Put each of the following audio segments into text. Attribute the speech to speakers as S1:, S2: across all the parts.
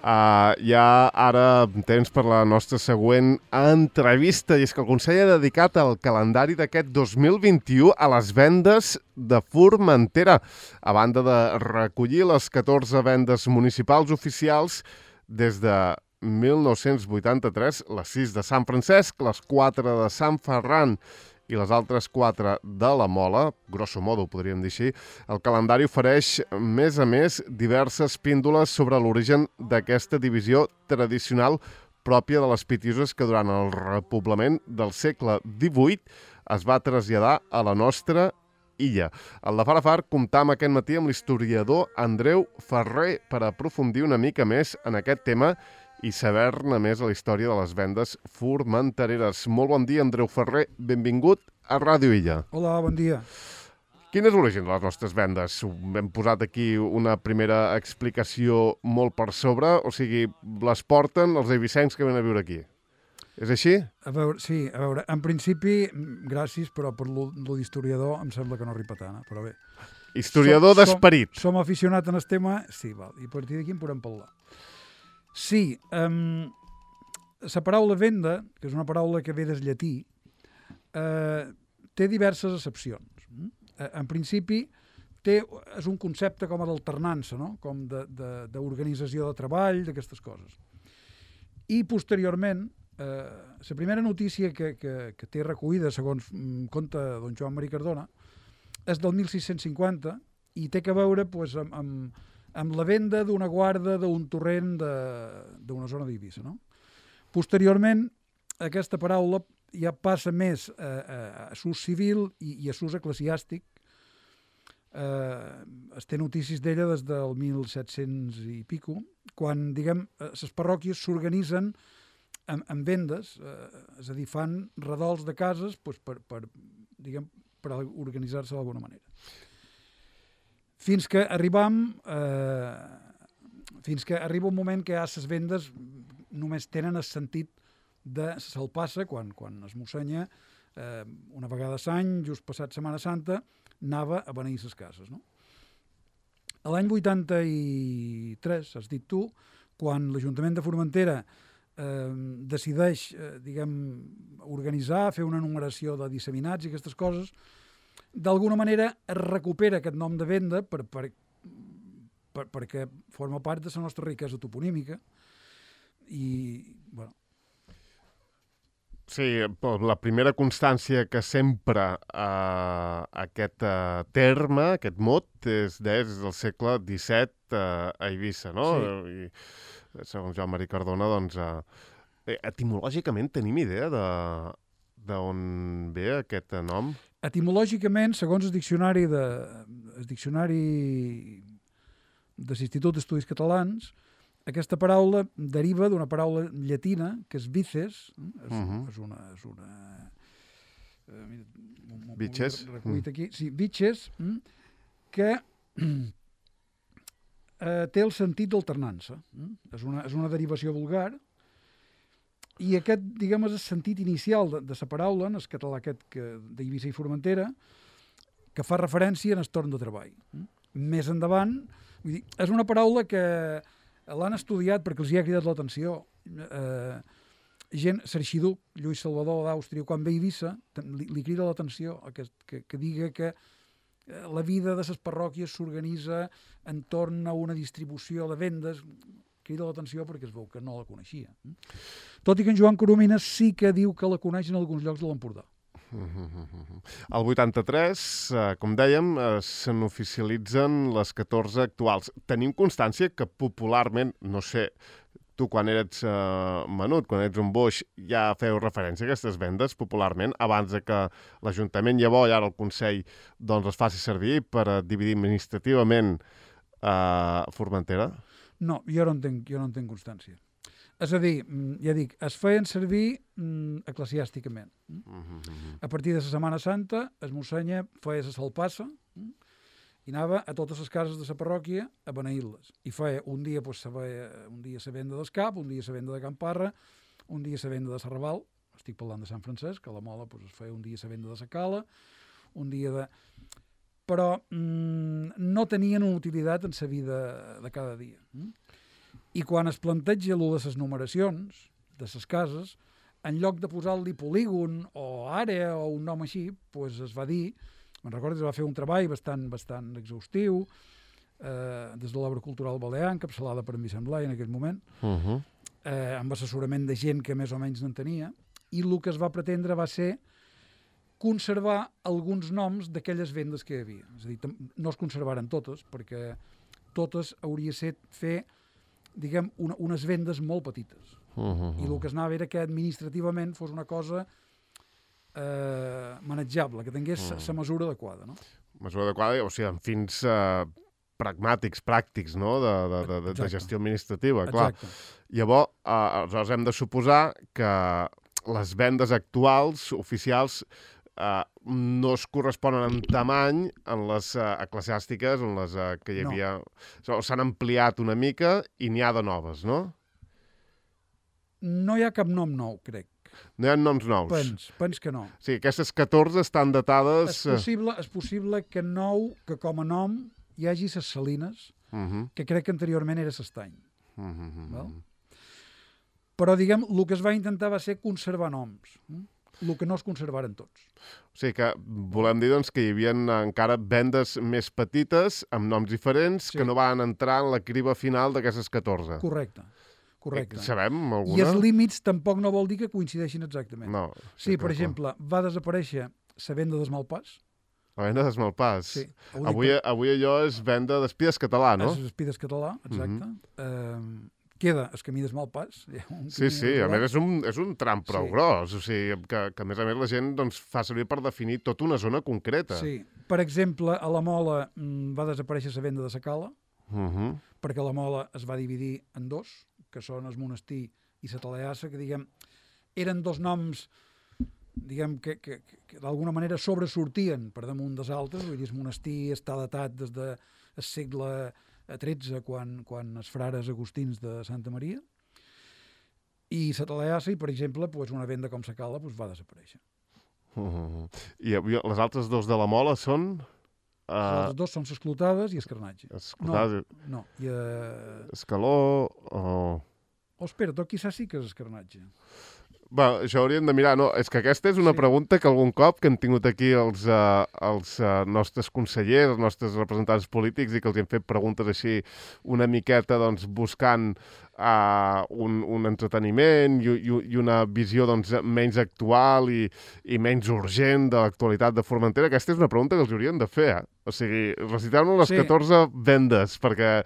S1: Hi ha ara temps per la nostra següent entrevista, i és que el Consell ha dedicat el calendari d'aquest 2021 a les vendes de Formentera, a banda de recollir les 14 vendes municipals oficials des de 1983, les 6 de Sant Francesc, les 4 de Sant Ferran i les altres 4 de la Mola, grosso modo podríem dir així. El calendari ofereix, més a més, diverses píndoles sobre l'origen d'aquesta divisió tradicional pròpia de les Pitiuses que durant el repoblament del segle XVIII es va traslladar a la nostra illa. Al de Far a Far comptam aquest matí amb l'historiador Andreu Ferrer per aprofundir una mica més en aquest tema i saber-ne més a la història de les vendes formentereres. Molt bon dia, Andreu Ferrer. Benvingut a Ràdio Illa.
S2: Hola, bon dia.
S1: Quin és l'origen de les nostres vendes? Hem posat aquí una primera explicació molt per sobre, o sigui, les porten els eivissencs que venen a viure aquí. És així?
S2: Sí, en principi, gràcies, però per lo d'historiador em sembla que no arriba tant, però bé.
S1: Historiador d'esperit.
S2: Som aficionats en el tema, sí, val, i a partir d'aquí en podem parlar. Sí, la paraula venda, que és una paraula que ve del llatí, té diverses accepcions. En principi, és un concepte com d'alternança, no? Com d'organització de treball, d'aquestes coses. I posteriorment, la primera notícia que té recollida, segons conta don Joan Maria Cardona, és del 1650 i té a veure pues, amb la venda d'una guarda d'un torrent d'una zona d'Eivissa. No? Posteriorment, aquesta paraula ja passa més a s'ús civil i a s'ús eclesiàstic. Es té notícies d'ella des del 1700 i pico, quan, diguem, les parròquies s'organitzen en vendes, és a dir, fan redols de cases pues, per organitzar-se d'alguna manera. Fins que arriba un moment que les vendes només tenen el sentit de salpassa, quan es mossenya una vegada a l'any, just passat Setmana Santa, anava a beneir les cases. No? A l'any 83, has dit tu, quan l'Ajuntament de Formentera decideix organitzar, fer una numeració de disseminats i aquestes coses, d'alguna manera es recupera aquest nom de venda perquè forma part de la nostra riquesa toponímica i, bueno...
S1: Sí, la primera constància que sempre aquest terme, aquest mot, és des del segle XVII a Eivissa, no?
S2: Sí.
S1: I segons Joan Maria Cardona, doncs, etimològicament tenim idea d'on ve aquest nom?
S2: Etimològicament, segons el diccionari de l'Institut d'Estudis Catalans, aquesta paraula deriva d'una paraula llatina que és vices, és una
S1: Bitxes?
S2: Aquí. Sí, bitxes, que té el sentit d'alternança. És una derivació vulgar i aquest, diguem, és el sentit inicial de la paraula, en el català aquest d'Eivissa i Formentera, que fa referència en el torn de treball. Més endavant, vull dir, és una paraula que l'han estudiat perquè els hi ha cridat l'atenció. L'arxiduc Lluís Salvador d'Àustria, quan ve a Eivissa, li crida l'atenció que diga que la vida de les parròquies s'organitza entorn a una distribució de vendes. Crida l'atenció perquè es veu que no la coneixia. Tot i que en Joan Coromines sí que diu que la coneix en alguns llocs de l'Empordà.
S1: Al 83, com dèiem, se n'oficialitzen les 14 actuals. Tenim constància que popularment, no sé, tu quan eres menut, quan ets un boix, ja feu referència a aquestes vendes popularment, abans de que l'Ajuntament llavors i ara el Consell doncs, les faci servir per dividir administrativament Formentera?
S2: No, jo no en tenc constància. És a dir, ja dic, es feien servir eclesiàsticament. A partir de la Setmana Santa, es mossenya feia la salpassa i anava a totes les cases de la parròquia a beneir-les. I feia un dia la venda del Cap, un dia la venda de Camparra, un dia la venda de Serraval, estic parlant de Sant Francesc, a la Mola es feia un dia la venda de la Cala, un dia de... Però no tenien una utilitat en la vida de cada dia. I quan es planteja allò de les numeracions de les cases, en lloc de posar-li polígon o àrea o un nom així, doncs es va dir, me'n recordo que es va fer un treball bastant exhaustiu, des de l'obra cultural balear, encapçalada per en Vicent Blai en aquell moment, amb assessorament de gent que més o menys n'entenia, i el que es va pretendre va ser conservar alguns noms d'aquelles vendes que hi havia. És a dir, no es conservaren totes, perquè totes hauria set fer, diguem, unes vendes molt petites. I el que es anava era que administrativament fos una cosa manejable, que tingués la mesura adequada, no?
S1: Mesura adequada, o sigui, amb fins pragmàtics, pràctics, no?, de gestió administrativa, clar.
S2: Exacte.
S1: Llavors, aleshores hem de suposar que les vendes actuals, oficials, no es corresponen en tamany en les eclesiàstiques, en les que hi havia... No. S'han ampliat una mica i n'hi ha de noves, no?
S2: No hi ha cap nom nou, crec.
S1: No hi ha noms nous?
S2: Pens que no.
S1: Sí, aquestes 14 estan datades...
S2: És possible que com a nom hi hagi ses Salines, que crec que anteriorment era s'Estany. Però, diguem, el que es va intentar va ser conservar noms. El que no es conservaren tots.
S1: O sigui que volem dir doncs, que hi havia encara vendes més petites, amb noms diferents, que no van entrar en la criba final d'aquestes 14.
S2: Correcte.
S1: Sabem alguna?
S2: I els límits tampoc no vol dir que coincideixin exactament.
S1: No.
S2: Sí, per exemple, va desaparèixer la venda d'Esmalpàs.
S1: La venda d'Esmalpàs.
S2: Sí.
S1: Avui allò és venda d'Espides Català, no?
S2: És Espides Català, exacte. Queda el camí d'Esmalpàs.
S1: Sí, a més és un tram prou gros, o sigui, que a més la gent doncs, fa servir per definir tota una zona concreta.
S2: Sí, per exemple, a la Mola va desaparèixer la venda de la Cala, perquè la Mola es va dividir en dos, que són el monestir i la Taleassa, que, diguem, eren dos noms, diguem, que d'alguna manera sobresortien per damunt dels altres. Vull dir, el monestir està datat des del segle XIII, quan els frares agustins de Santa Maria, i la Taleassa, per exemple, una venda com la Cala va desaparèixer.
S1: I les altres dos de la Mola són...
S2: Les altres dos són l'Esclotades i Escarnatge. No.
S1: Escaló o...
S2: espera, tot quizás sí que és Escarnatge.
S1: Bé, això hauríem de mirar. No, és que aquesta és una pregunta que algun cop que hem tingut aquí els nostres consellers, els nostres representants polítics, i que els hem fet preguntes així una miqueta doncs, buscant un entreteniment i una visió doncs, menys actual i menys urgent de l'actualitat de Formentera. Aquesta és una pregunta que els haurien de fer. O sigui, recitar-nos les 14 vendes, perquè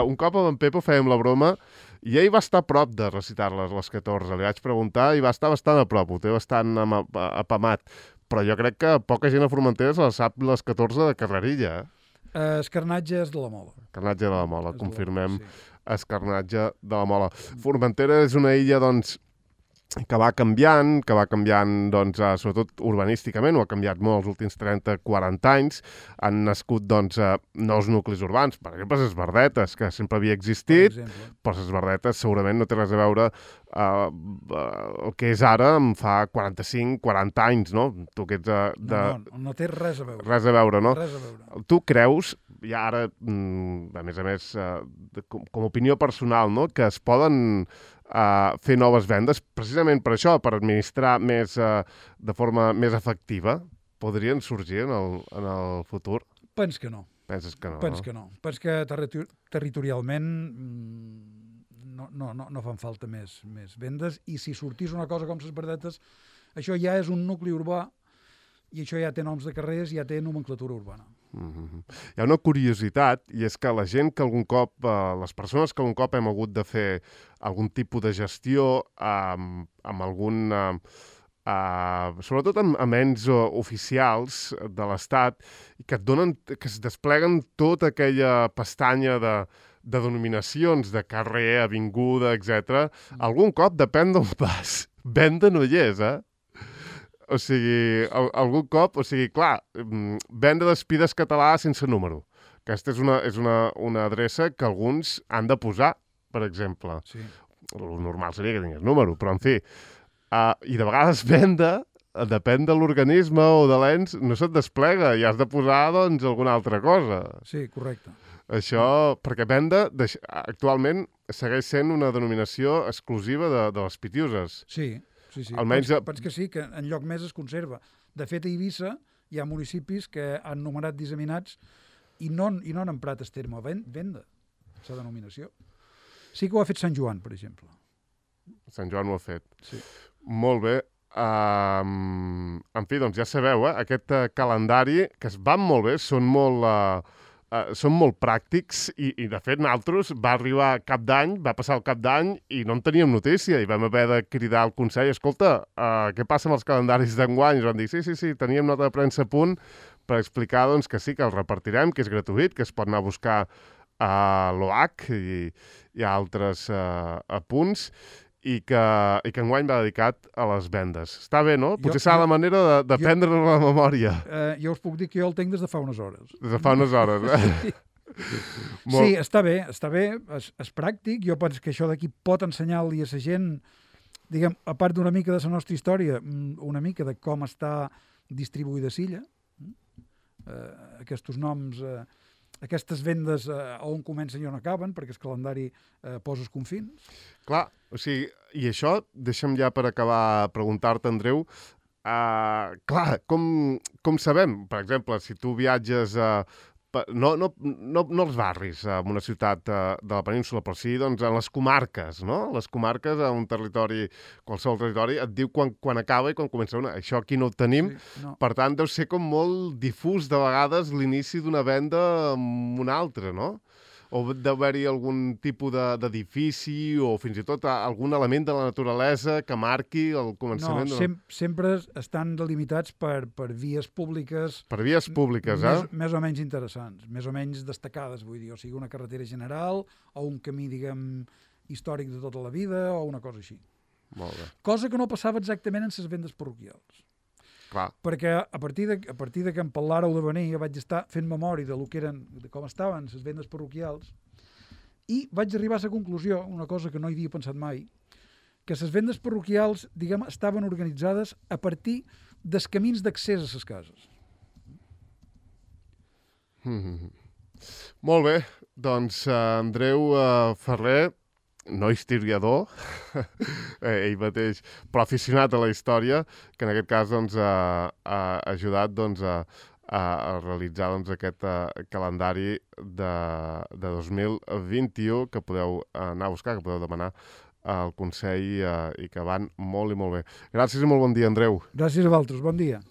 S1: un cop amb en Pepo fèiem la broma i ell va estar a prop de recitar-les, les 14. Li vaig preguntar i va estar bastant a prop, ho té bastant apamat. Però jo crec que poca gent a Formentera se les sap les 14 de carrerilla.
S2: Escarnatge és de la Mola.
S1: Escarnatge de la Mola, confirmem. Escarnatge de la Mola. Formentera és una illa, doncs, que va canviant, doncs, sobretot urbanísticament, ho ha canviat molt els últims 30-40 anys, han nascut doncs, nous nuclis urbans, per exemple, les Verdetes, que sempre havia existit, però les Verdetes segurament no té res a veure el que és ara en fa 45-40 anys, no? Tu que ets
S2: no té res a veure.
S1: Res a veure, no?
S2: Res a veure.
S1: Tu creus, i ara, a més, com a opinió personal, no?, que es poden fer noves vendes, precisament per això, per administrar més de forma més efectiva, podrien sorgir en el futur?
S2: Pens que no.
S1: Penses que no?
S2: Pens que no. Pens que territorialment no fan falta més vendes, i si sortís una cosa com les Verdetes, això ja és un nucli urbà i això ja té noms de carrers, ja té nomenclatura urbana.
S1: Hi ha una curiositat, i és que la gent que algun cop, les persones que algun cop hem hagut de fer algun tipus de gestió amb algun... sobretot amb ens oficials de l'Estat, que et donen, que es despleguen tota aquella pestanya de denominacions de carrer, avinguda, etc. Algun cop depèn d'on vas. Venda no hi és, O sigui, algun cop, clar, venda d'Espides Català sense número. Aquesta és una adreça que alguns han de posar, per exemple.
S2: Sí.
S1: El normal seria que tingués número, però en fi. I de vegades venda, depèn de l'organisme o de l'ens, no se't desplega i has de posar, doncs, alguna altra cosa.
S2: Sí, correcte.
S1: Això, perquè venda, actualment, segueix sent una denominació exclusiva de les Pitiuses.
S2: Sí.
S1: Almenys...
S2: Penso que sí, que en lloc més es conserva. De fet, a Eivissa hi ha municipis que han nomenat disseminats i no han emprat el terme venda, la denominació. Sí que ho ha fet Sant Joan, per exemple.
S1: Sant Joan ho ha fet.
S2: Sí.
S1: Molt bé. En fi, doncs ja sabeu, aquest calendari, que es van molt bé, són molt pràctics i de fet nosaltres va arribar cap d'any, va passar el cap d'any i no en teníem notícia i vam haver de cridar al Consell, escolta, què passa amb els calendaris d'enguany? I ens van dir, sí, teníem nota de premsa a punt per explicar doncs, que sí, que els repartirem, que és gratuït, que es pot anar a buscar a l'OH i a altres punts i que enguany va dedicat a les vendes. Està bé, no? Potser serà la manera de prendre-nos la memòria.
S2: Jo us puc dir que jo el tinc des de fa unes hores.
S1: Des de fa unes hores,
S2: Sí. Sí, està bé, és pràctic. Jo penso que això d'aquí pot ensenyar-li a la gent, diguem, a part d'una mica de la nostra història, una mica de com està distribuïda Silla, aquests noms... Aquestes vendes on comencen i on acaben, perquè el calendari posa els confins.
S1: Clar, o sigui, i això, deixa'm ja per acabar preguntar-te, Andreu, clar, com sabem, per exemple, si tu viatges no als barris, en una ciutat de la península, però sí doncs, en les comarques, no? Les comarques, en un territori, qualsevol territori, et diu quan acaba i quan comença una. Això aquí no ho tenim, sí, no. Per tant, deu ser com molt difús de vegades l'inici d'una venda amb una altra, no? O deu haver-hi algun tipus d'edifici o fins i tot algun element de la naturalesa que marqui el començament?
S2: No, sempre estan delimitats per vies públiques...
S1: Per vies públiques,
S2: més o menys interessants, més o menys destacades, vull dir, o sigui, una carretera general o un camí, diguem, històric de tota la vida o una cosa així.
S1: Molt bé.
S2: Cosa que no passava exactament en les vendes parroquials.
S1: Clar.
S2: Perquè a partir de que en parlàreu de venir, jo vaig estar fent memòria de com estaven les vendes parroquials i vaig arribar a la conclusió, una cosa que no hi havia pensat mai, que les vendes parroquials, diguem, estaven organitzades a partir dels camins d'accés a les cases.
S1: Molt bé, doncs Andreu Ferrer, no historiador, ell mateix, però aficionat a la història, que en aquest cas doncs, ha ajudat doncs, a realitzar doncs, aquest calendari de 2021 que podeu anar a buscar, que podeu demanar al Consell i que van molt i molt bé. Gràcies i molt bon dia, Andreu.
S2: Gràcies a vosaltres, bon dia.